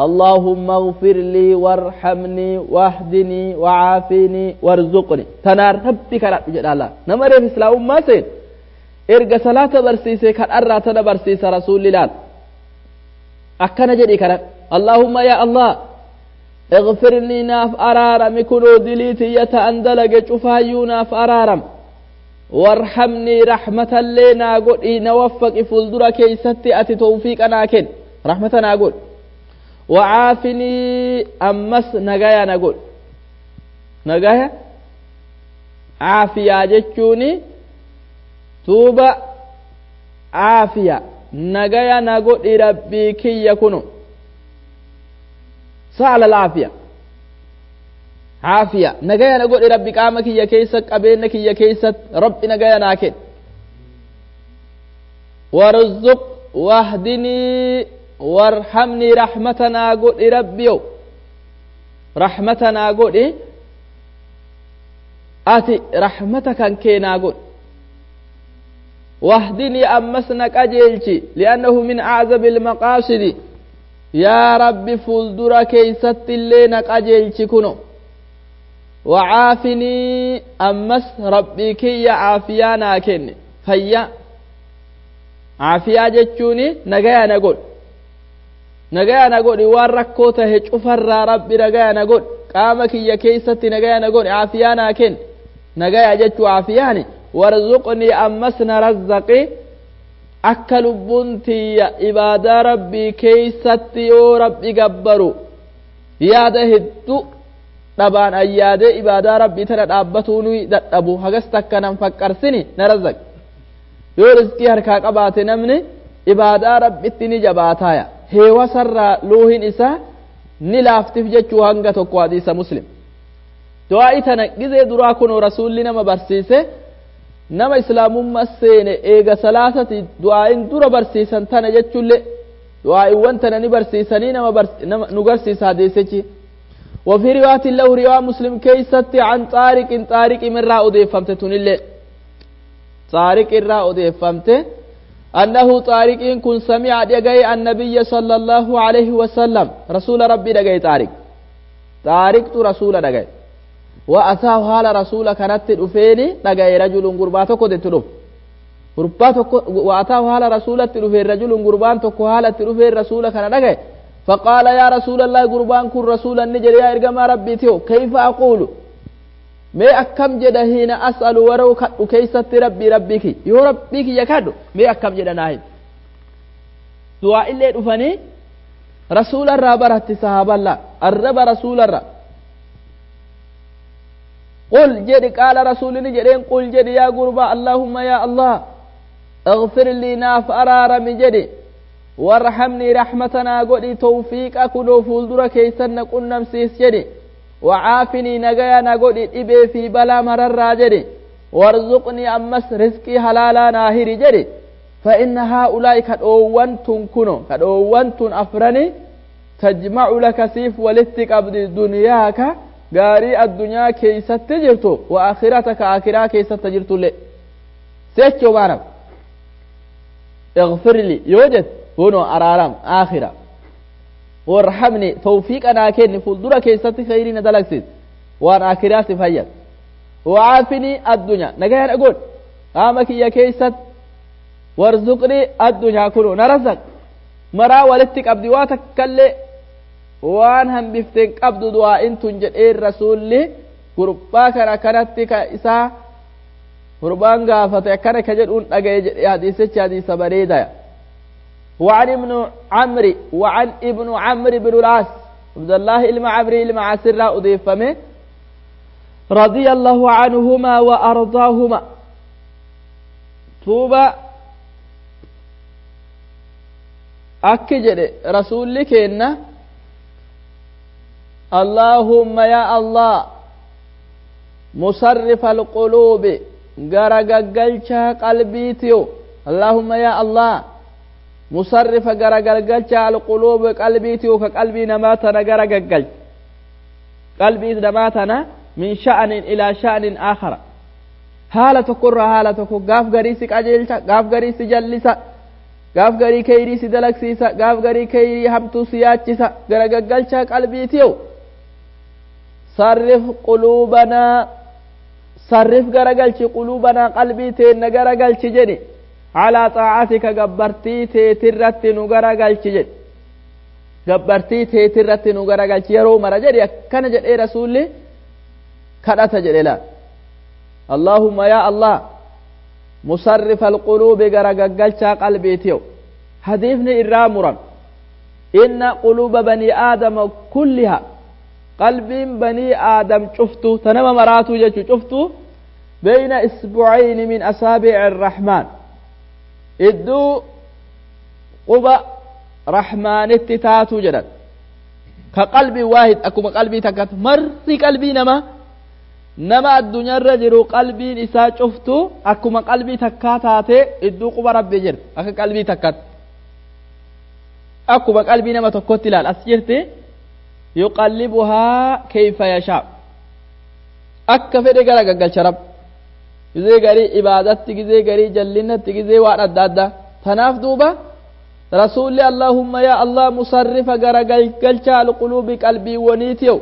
اللهم اغفر لي وارحمني واهدني وعافني وارزقني تنا ربك لا جدان لا نمر في إسلام ما سين erga salaata barsiise kadharraa tana barsiisa rasuulli laal akkana jedhi kadhan allaahumma yaa allah اغfirnii naaf araarami kunoo dilii tiyya ta'an dalage cufaayyuu naaf araaram warhamnii raxmatallee naa godhi na waffaqi fuuldura keeysatti ati tawfiiqa naa ken raxmata naa godhi wacaafinii ammas nagaya na godhi nagaya caafiyaa jechuuni tuuba caafiya nagaya na godhi rabbii kiyya kuno sa'ala laafiya caafiya nagaya na godhi rabbi qaama kiyya keessa qabeenya kiyya keessa rabbi nagaya naa kenn warzuq wahdinii warhamnii raxmata naa godhi rabbiyo raxmata naa godhi ati raxmata kan kee naa godhi واهدني أمسنا قجلتي لأنه من أعزب المقاصد يا رب فولدر كيست اللي نقجلتي كنو وعافني أمس ربي كي عافيا ناكن فيا عافيا جتشوني نجايا نقول نجايا نقول واركو تهج أفر ربي نجايا نقول قامك يا كيست نجايا نقول عافيا ناكن نجايا جتشو عافياني warzuqnii ammas na razzaqi akka lubbuun tiyya ibaadaa rabbii keeysatti yoo rabbi gabbaru yaada hedduu dhabaan ayyaadee ibaadaa rabbii tana dhaabbatuu ni dadhabu hagas takka nan faqqarsini na razzaqi yoo rizqii harkaa qabaate namni ibaadaa rabbitti ni jabaataaya heewasarraa luuhin isaa ni laaftif jechuu hanga tokko hadiisa muslim du'aa'i tana gizee duraa kunoo rasuulli nama barsiise nama islaamummaa seene eega salaatati du'aa'iin dura barsiisan tana jechulle du'aa'iiwwan tana ni barsiisanii nama, nama nu garsiisa hadiisichi وفي رواية له رواية مسلم كيست عن طارق طارق من راء فهمت تنلي طارق راء فهمت أنه طارق كن سمع دقي النبي صلى الله عليه وسلم رسول ربي دقي طارق طارق رسول دقي وأتاه حال رسول كانت الأفيني دقي رجل قرباتك تلوف قرباتك وأتاه حال رسول التلوفين رجل قربان تكو حال التلوفين رسول كان دقي فقال يا رسول الله قربان كن رسول النجر يا إرقما ربي تيو كيف أقول ما أكم جد هنا أسأل ورو كيست ربي ربك يو ربك يكاد ما أكم جد ناهي دعاء اللي دفني رسول الرب رت صحابة الله الرب رسول الرب قل جد قال رسول نجرين قل جد يا قربا اللهم يا الله اغفر لي ناف أرار من جدي وارحمني رحمتنا قولي توفيق أكدو فولدر كيسن قلنا مسيس جدي وعافني نجايا نقولي إبي في بلا مرر جدي وارزقني أمس رزقي حلالا ناهري جدي فإن هؤلاء كدوان تنكنو كدوان أفرني تجمع لك سيف ولتك أبدي دنياك gaarii addunyaa keeysatti jirtu wa akhirataka akiraa keeysatti jirtullee seechoo maanam اغفر لي يوجد هنا أرارم آخرة Warhamni tawfiiqa naa kenni fuuldura keessatti khayrii na dalagsiis waan akiraa si fayyad. Wacaafinii addunyaa nagaya na godhi qaama kiyya keessatti. Warzuqnii addunyaa kunoo na razaq maraa walitti qabdi waa takkallee waan hambifteen qabdu du'aa'in tun jedheen rasuulli gurbaa kana kanatti ka isaa gurbaan gaafate akkana ka jedhuun dhagaye jedhe hadiisichi hadiisa bareedaya. وعن ابن عمرو وعن ابن عمرو بن العاص عبد الله ilma عمرو ilma عاص أضيفمه رضي الله عنهما وأرضاهما توبة akki jedhe rasuulli keenna allaahumma yaa allah musarrifa alquluubi garagaggalchaa qalbiitiyo allaahumma yaa allah musarrifa garagaggalchaa alquluubi qalbiitiyo ka qalbii namaa tana garagaggalcha qalbii namaa tana min sha'anin ilaa sha'anin aakhara haala tokkorraa haala tokko gaaf garii si qajeelcha gaaf garii si jallisa gaaf garii keyrii si dalagsiisa gaaf garii keyrii hamtuu si yaachisa garagaggalchaa qalbiitiyo sarrif quluubanaa sarrif garagalchi quluubanaa qalbii teenna garagalchi jedhi calaa xaacatika gabbartii teetirratti nu garagalchi jedhi gabbartii teetirratti nu garagalchi yeroo mara jedhi akkana jedhee rasuulli kadhata jedhe laal allaahumma yaa allah musarrifa alquluubi garagaggalchaa qalbiitiyo hadiifni irraa muran inna quluuba banii aadama kulliha qalbiin banii aadam cuftu ta nama maraatuu jechu cuftu beyna isbucayni min asaabici arrahmaan idduu quba rahmaanitti taatuu jedhan ka qalbii waahid akkuma qalbii takkat marri qalbii namaa nama addunyaarra jiru qalbiin isaa cuftu akkuma qalbii takkaa taatee idduu quba rabbii jirti akka qalbii takkatti akkuma qalbii nama tokkotti ilaal as jirti yuqallibuhaa kayfa yashaa akka fedhe gara gaggalcha rab gizee garii ibaadatti gizee garii jallinatti gizee waan adda addaa tanaaf duuba rasuulli allaahumma yaa allah musarrifa gara galgalcha alquluubi qalbiiwwaniitiyo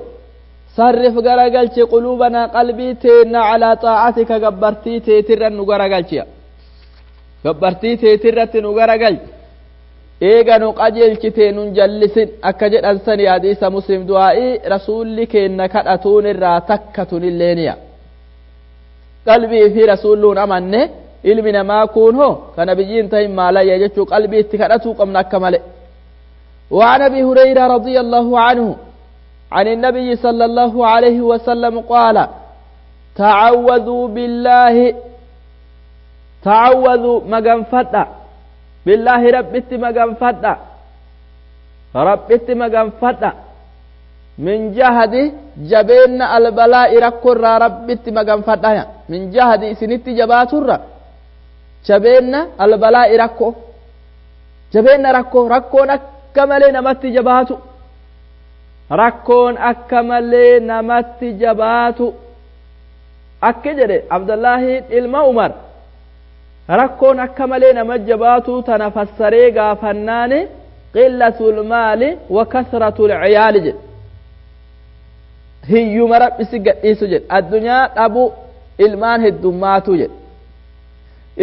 sarrif garagalchi quluubanaa qalbii teenna calaa xaacatika gabbartii teetirra nu garagalchiya gabbartii teetirratti nu garagalchi eega nu qajeelchitee nun jallisin akka jedhan sani hadiisa muslim du'aa'ii rasuulli keenna kadhatuun irraa takka tunilleeniya qalbii fi rasuulluun amanne ilmi namaa kun hoo kana biyyiin tahin maalayya jechuu qalbii itti kadhatuu qabna akka male وعن ابي هريره رضي الله عنه عن النبي صلى الله عليه وسلم قال تعوذوا بالله تعوذوا مغنفدا بالله ربت مغنفدا ربت مغنفدا من جهد جبين البلاء ركر ربت مغنفدا من جهد سنت جباتر جبين البلاء ركو جبين ركو ركو نكمل نمت جباتو rakkoon akka malee namatti jabaatu akki jedhe abdullaahi ilma umar rakkoon akka malee nama jabaatu tana fassaree gaafannaani qillatul maali wa kasratul ciyaali jedhe hiyyuma rabbi si gadhiisu jedhe addunyaa dhabu ilmaan heddummaatu jedhe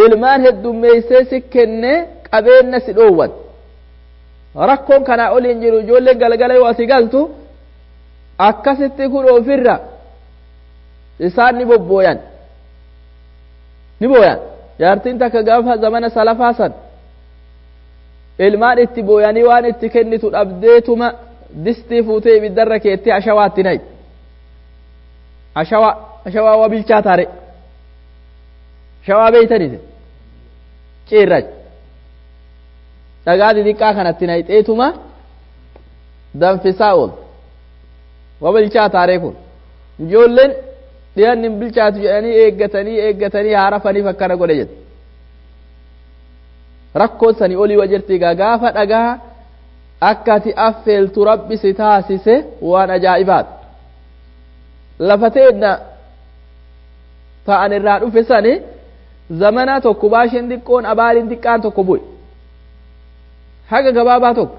ilmaan heddummeeysee si kenne qabeenna si dhoowwan rakkoon kanaa oliin jiru ijoolleen galgala yoo asii galtu akkasitti kun ofirra isaan ni bobbooyan ni booyan jaartiin takka gaafa zamana salafaa san ilmaan itti booyanii waan itti kennitu dhabdeetuma distii fuutee ibiddarra keettee ashawaatti nayi ashawaa ashawaa waa bilchaa taare ashawaa beeytanite ciirrach dhagaa xixiqqaa kanatti nayxeetuma danfisaa ool waa bilchaa taaree kun ijoolleen dhiyanni hin bilchaatu jedhanii eeggatanii eeggatanii haarafaniif akkana godhe jedhe rakkoon sanii olii wa jirti egaa gaafa dhagaa akka ati affeeltu rabbi si taasise waan ajaa'ibaat lafa teenna ta'an irraa dhufe sani zamana tokko baasheen xiqqoon abaariin xiqqaan tokko bu'e haga gabaabaa tokko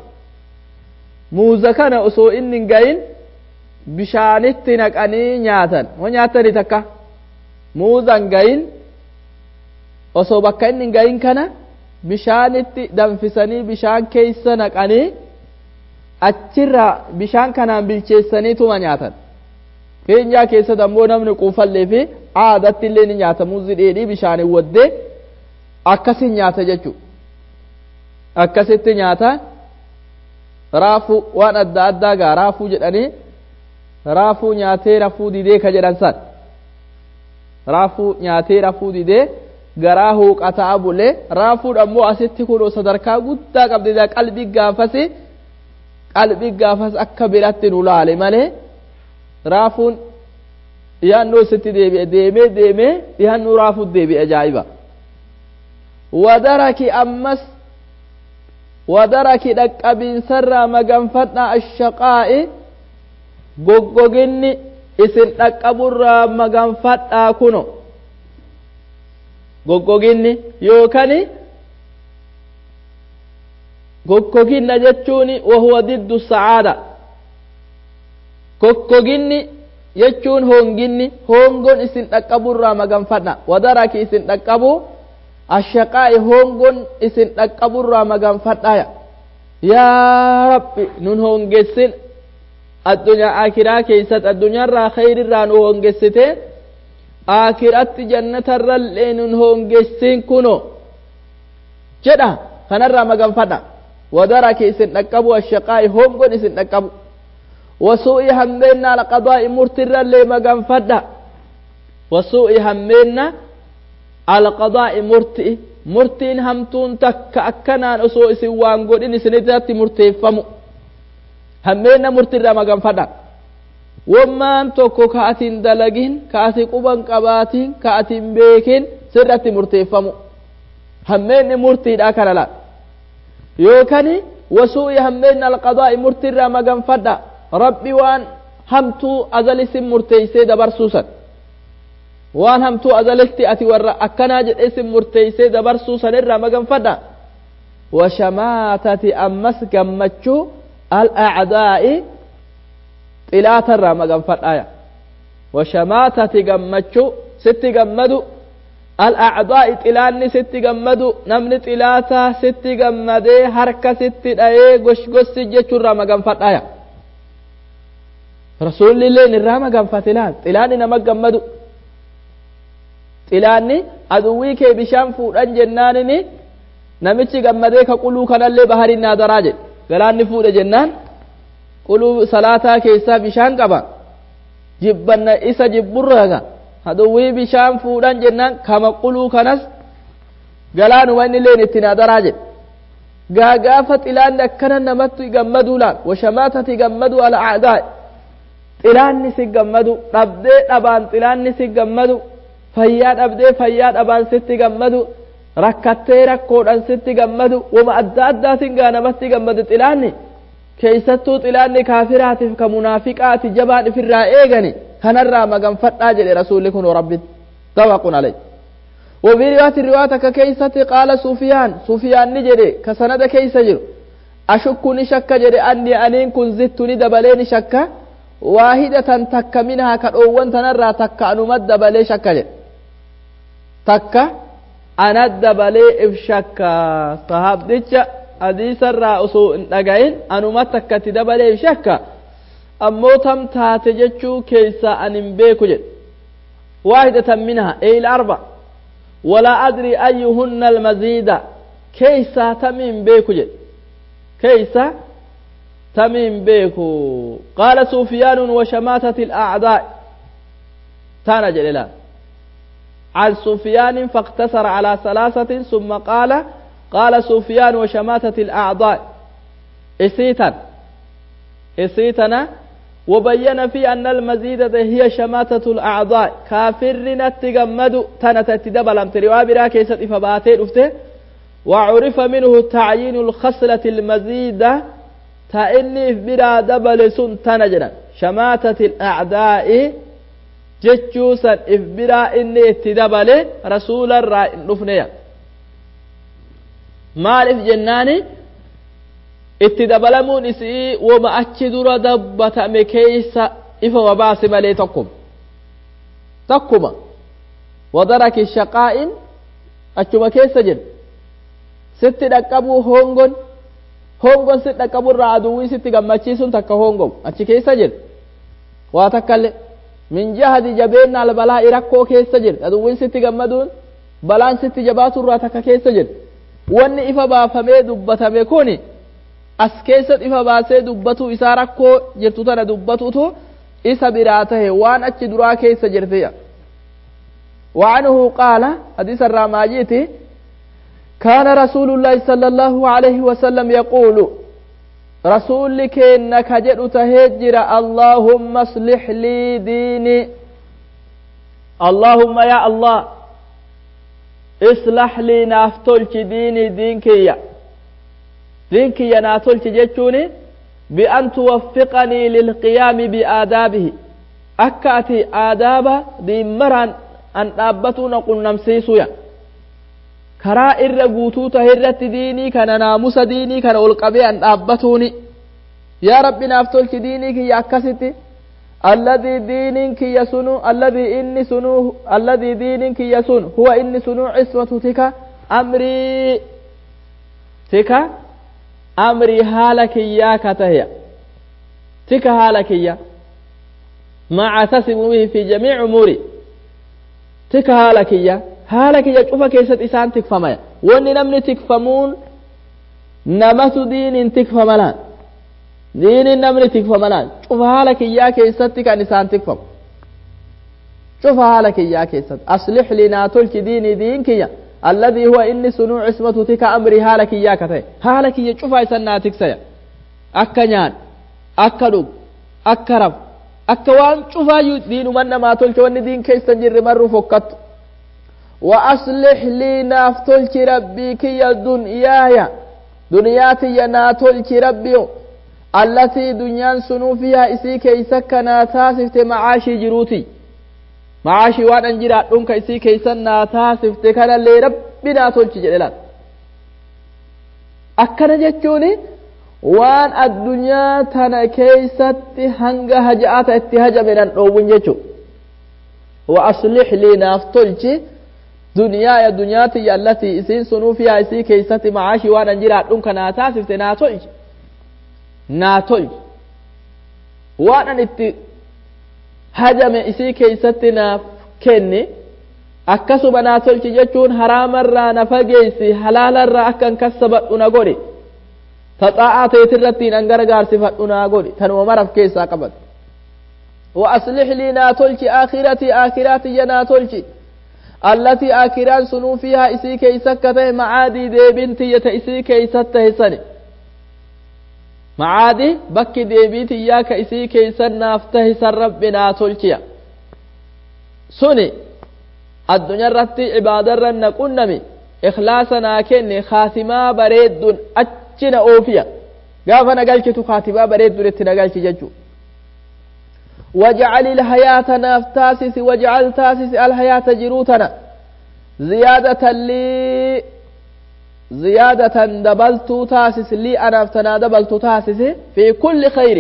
Muuza kana osoo inni hin gahin bishaanitti naqanii nyaatan. Moo nyaatanii takka muuza hin gahin osoo bakka inni hin gahin kana bishaanitti danfisanii bishaan keessa naqanii achirraa bishaan kanaan bilcheessanii tuma nyaatan. Keenyaa keessatti ammoo namni quufallee fi aadatti illee ni nyaata muuzi dheedhii bishaaniin waddee akkasin nyaata jechuudha. Akkasitti nyaata raafuu waan adda addaa gaa raafuu jedhanii raafuu nyaatee rafuu didee ka jedhan san raafuu nyaatee rafuu didee garaa huuqataa bulee raafuun ammoo asitti kun sadarkaa guddaa qabdi qalbii gaafasi qalbii gaafas akka biratti nu laale malee raafuun dhiyaannoo isitti deebi'e deemee deemee dhiyaannoo raafuut deebi'e ajaa'iba. Wadaraki ammas wadaraki dhaqqabiinsarraa maganfadhaa ashaqaa'i goggoginni isin dhaqqaburraa maganfadhaa kuno goggoginni yookani goggoginna jechuun wahuwa diddu sa'aada goggoginni jechuun honginni hongoon isin dhaqqaburraa maganfadha wadaraki isin dhaqqabu ashaqaa'i hongoon isin dhaqqaburraa maganfadhaya yaa rabbi nun hongessin addunyaa akiraa keessatti addunyaarraa khayrirraa nu hongessite akiratti jannatarrallee nun hongessin kuno jedha kanarraa maganfadha wadaraki isin dhaqqabu ashaqaa'i hongoon isin dhaqqabu wasuu'i hammeenna alqadaa'i murtirrallee maganfadha wasuu'i hammeenna alqadaa'i murti'i murtiin hamtuun takka akkanaan osoo isin waan godhin isinirratti murteeffamu hammeenna murtirraa maganfadha wammaan tokko ka atin dalagin ka ati quban qabaatin ka atin beekin sirratti murteeffamu hammeenni murtiidha kana laal yookani wasuu'i hammeenna alqadaa'i murtirraa maganfadha rabbi waan hamtuu azalisin murteeysee dabarsuusan waan hamtuu azalitti ati warra akkanaa jedhee sin murteeysee dabarsuu sanirraa maganfadha washamaatati ammas gammachuu al'acdaa'i xilaatarraa maganfadhaya washamaatati gammachuu sitti gammadu al'acdaa'i xilaanni sitti gammadu namni xilaataa sitti gammadee harka sitti dhayee goshgossi jechuurraa maganfadhaya rasuulli illeen irraa maganfate laal xilaanni nama gammadu xilaanni aduwwii kee bishaan fuudhan jennaanini namichi gammadee ka quluu kanallee baharin naadaraa jedhe galaanni fuudhe jennaan quluu salaataa keessaa bishaan qaba jibbanna isa jibburraaga aduwwii bishaan fuudhan jennaan kama quluu kanas galaanuma inni illeen itti naadaraa jedhe gaagaafa xilaanni akkana namatti gammaduu laal washamaatati gammadu al'aadaa xilaanni si gammadu dhabdee dhabaan xilaanni si gammadu fayyaa dhabdee fayyaa dhabaan sitti gammadu rakkattee rakkoodhaan sitti gammadu wama adda addaatiin gaa namatti gammadu xilaanni keeysattuu xilaanni kaafiraatiif ka munaafiqaati jabaan ifirraa eegani kanarraa maganfadhaa jedhe rasuulli kun rabbi tawaqun alay وفي رواية الرواية ككيسة قال سفيان سفيان نجري كسند كيسة جرو أشك نشك جري أني أنين كن زدت ندبلين شك واحدة تك منها كالأوان تنرى تك أنمد دبلي شك جري تك أنا دبلي إفشك صحاب ديتش حديث الرأس نجاين أنما تك تدبلي إفشك أمو تم تاتجتشو كيسا أنم بيكو جري واحدة منها أي الأربع ولا أدري أيهن المزيد كيسا تمين بيكو جد كيسا تمين بيكو قال سفيان وشماتة الأعداء تانا جللا عن سفيان فاقتصر على ثلاثة ثم قال قال سفيان وشماتة الأعضاء إسيتا إسيتنا وبين في أن المزيدة هي شماتة الأعضاء كافرنا تجمد تنة تدبلم تروا برا كيست إفباتي رفته وعرف منه تعيين الخصلة المزيدة تأني برا دبل سن تنجنا شماتة الأعداء جتشوسا إفبرا إني تدبل رسول الرائن رفنيا مالف جناني Itti dabalamuun isii wama achi dura dubbatame keeysa ifa wabaase malee tokkuma. Tokkuma. Wadaraki shaqaa'in achuma keessa jira. Sitti dhaqqabuu hongon hongon sitti dhaqqaburraa aduwwii sitti gammachiisuun takka hongomu achi keessa jira. Waa takkallee min jahadi jabeenna albalaa'i rakkoo keessa jira. Aduwwiin sitti gammaduun balaan sitti jabaaturraa takka keessa jira. Wanni ifa baafamee dubbatame kuni as keessatti ifa baasee dubbatu isaa rakkoo jirtu tana dubbatutu isa biraa tahe waan achi duraa keessa jirtiya. وعنه قال حديث الرماجيتي كان رسول الله صلى الله عليه وسلم يقول رسول كأنك جئت تهجر اللهم اصلح لي ديني اللهم يا الله اصلح لي نافتلك ديني دينك يا دينك يا ناتلك جتوني بأن توفقني للقيام بآدابه أكأتي آداب دين مران أن أبتون قل نمسيسويا karaa irra guutuu tahe irratti diinii kana naamusa diinii kana ol qabee an dhaabbatuuni yaa rabbi naaf tolchi diinii kiyya akkasitti alladii diiniin kiyya sunu alladii inni sunu alladii diiniin kiyya sun huwa inni sunu cismatu tika amrii tika amrii haala kiyyaa ka taheya tika haala kiyya maa tasimu bihi fi jamiici umuuri tika haala kiyya haala kiyya cufa keessatti isaan tikfamaya wanni namni tikfamuun namatu diiniin tikfamalaan diiniin namni tikfamalaan cufa haala kiyyaa keessatti kan isaan tikfamu cufa haala kiyyaa keessatti aslix li naa tolchi diinii diin kiyya alladii huwa inni sunuu cismatu tika amrii haala kiyyaa ka ta'e haala kiyya cufa isan naa tiksaya akka nyaadhu akka dhugu akka rafu akka waan cufaayyuu diinuman namaa tolche wanni diin keessa jirre marruu fokkattu وأصلح لي نافتلك ربي كي دنياي دنياتي ناتلك ربي التي دنيا سنو فيها إسي كيسك ناتاسفت معاشي جروتي معاشي وان أنجرا دنك إسي كيسا ناتاسفت كان اللي ربي ناتلك جلالات أكنا جتشوني وان الدنيا تنا كيست هنغ هجعات اتهج من الأوبن جتشو وأصلح لي نافتلك دنيا دنياتي التي إسين سنو فيها إسي كيستي معاشي وانا جرا دونك ناتاسفت ناتولج ناتولج وانا نتي هجم إسي كيستي ناف كني akkasuma naa tolchi jechuun haraamarraa na fageessi halaalarraa akkan kassabadhu na godhi taxaa'aa teetirrattiin an gargaarsifadhu naa godhi tanuma maraf keessaa qabatu wa aslix lii naa tolchi aakhiratii aakhiraatiyya naa tolchi التي آكران سنو فيها إسي كيسكته معادي ديبنتي يتإسي كيسته سني معادي بك ديبيتي ياك إسي كيسن نافته سن ربنا تلكيا سني الدنيا رتي عبادة رن قنمي إخلاصنا كني خاتما بريد أجنا أوفيا قافنا قالك خاتما بريد رتنا قالك ججو واجعل الحياة نافتاسس واجعل تاسس الحياة جروتنا زيادة لي زيادة دبلت تاسس لي أنا دبلت تاسس في كل خير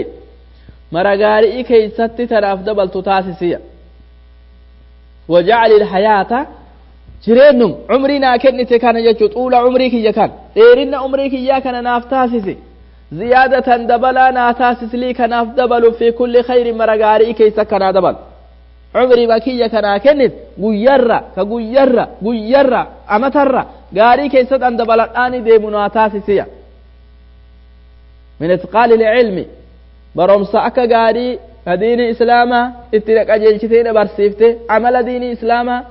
مرغاري كي ست تناف دبلت تاسسية وجعل الحياة جرينم عمرنا كنت كان يجو طول عمري كي كان ديرنا عمري كي كان نافتاسسي زيادة دبلا ناتاسس لي كناف دبل في كل خير مرغاري كيس كنا دبل عمري بكية كنا كنت غيرة كغيرة غيرة أمترة غاري كيس أن دبل آني دي مناتاسسيا من إتقال العلم برمسا أكا غاري دين إسلاما اتلك أجلشتين برسيفته عمل دين إسلاما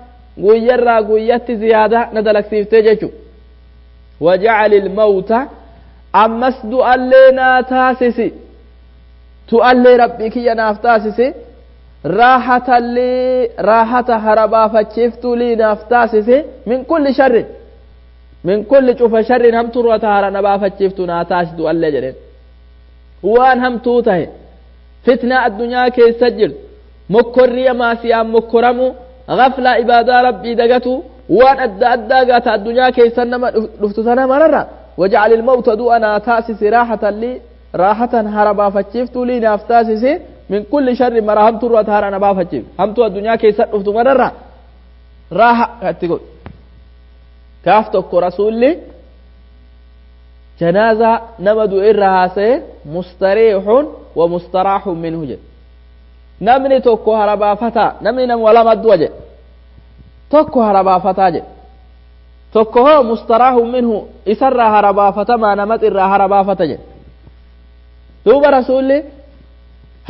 غيرة غيرت زيادة ندلك سيفته جيشو وجعل الموت ammas du'allee naa taasisi tu'allee rabbii kiyya naaf taasisi raahatallee raahata harabaafachiiftuu lii naaf taasisi min kulli sharrin min kulli cufa sharrin hamturra ta hara nabaafachiiftu naa taasi du'allee jedheen waan hamtuu tahe fitnaa addunyaa keessa jirtu mokkorriya maasiyaan mokkoramu gaflaa ibaadaa rabbii dagatu waan adda addaa gaata addunyaa keessa nama dhuftu sana mararra Wajcal ilmawta du'a naa taasisi raaxatan lii raaxatan hara baafachiiftuu lii naaf taasisi min kulli sharri mara hamturra ati hara na baafachiif hamtuu addunyaa keessa dhuftu mararra raaha itti godhu. Gaaf tokko rasuulli janaazaa nama du'e irra haasa'e mustariixun wa mustaraaxun minhu jedhe. Namni tokko hara baafataa namni nama lama du'a jedhe tokko hara baafataa jedhe tokko hoo mustaraaxun minhu isarraa hara baafatamaa namat irraa hara baafata jedhe. Duuba rasuulli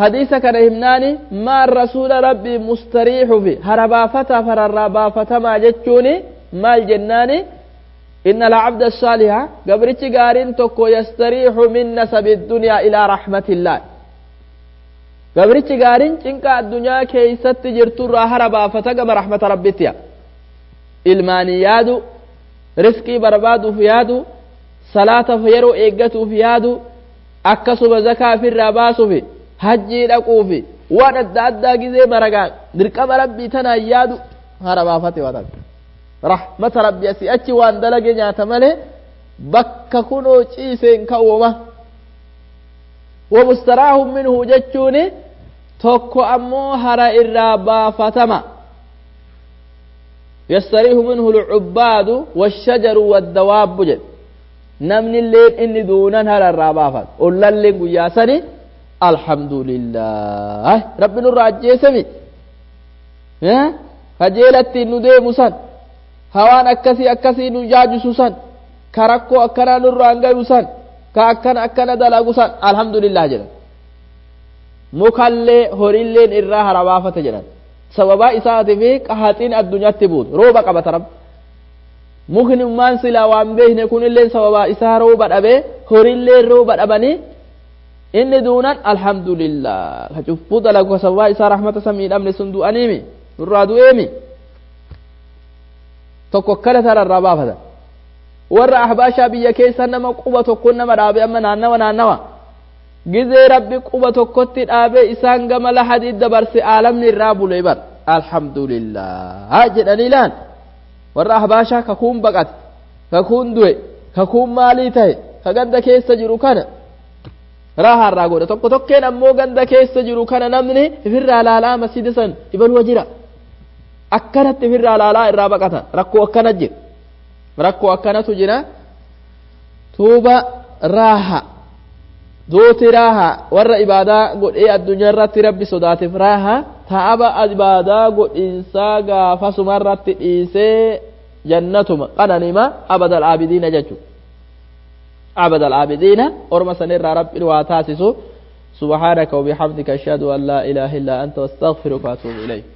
hadiisa kana himnaani maan rasuula rabbii mustariixufi hara baafataaf hararraa baafatamaa jechuuni maal jennaani إن العبد الصالح قبرتش قارين تكو يستريح من نسب الدنيا إلى رحمة الله قبرتش قارين چنك الدنيا كيست جرتو راهربا فتقم رحمة ربتيا إلماني يادو رزقي بربادو فيادو صلاة فيرو إيقتو فيادو أكسب زكاة في الرباسو في هجي لقو في وانا الدادة قزي مرقان دركم ربي تنا يادو هربا فتي وطن rahmata rabbi asii achi waan dalage nyaata malee bakka kunoo ciiseen ka'uuma wamustaraahu minhu jechuuni tokko ammoo hara irraa baafatama yastariihu minhu lcubbaadu washajaru waddawaabbu jedhe namni illeen inni duunan hara irraa baafata ollalleen guyyaa sani alhamdulillah rabbi nurraa ajjeesemi kajeelatti nu deemu san hawaan akkasii akkasii nu jaajisu san ka rakkoo akkanaa nurraan gayu san ka akkana akkana dalagu san alhamdulillah jedhan mukallee horiilleen irraa harabaafate jedhan sababaa isaatii fi qahaxiin addunyaatti buutu rooba qabata rabbi mukni ummaan silaa waan beekne kunilleen sababaa isaa rooba dhabee horiilleen rooba dhabanii inni duunan alhamdulillah ka cubbuu dalagu ka sababaa isaa rahmata samii dhabne sun du'aniimi nurraa du'eemi tokko akkana tararraa baafatan warra ahbaashaa biyya keessa nama quba tokko nama dhaabe amma naannawa naannawa gizee rabbi quba tokkotti dhaabe isaan gama lahadii dabarse aalamni irraa bule bar alhamdulillah jedhanii laan warra ahbaashaa kakuun baqate kakuun du'e kakuun maalii ta'e ka ganda keessa jiru kana raahaa irraa godha tokko tokkeen ammoo ganda keessa jiru kana namni ifirraa laalaa masjida san ibaluwa jira akkanatti ifirraa laalaa irraa baqatan rakkoo akkana jira rakkoo akkanatu jira tuuba raaha duuti raaha warra ibaadaa godhee addunyaa irratti rabbi sodaateef raaha taaba ibaadaa godhinsaa gaafasuma irratti dhiisee jannatuma qananima abadal aabidiina jechu abadal aabidiina orma sanirraa rabbi waa taasisu سبحانك وبحمدك أشهد أن لا إله إلا أنت واستغفرك وأتوب إليك.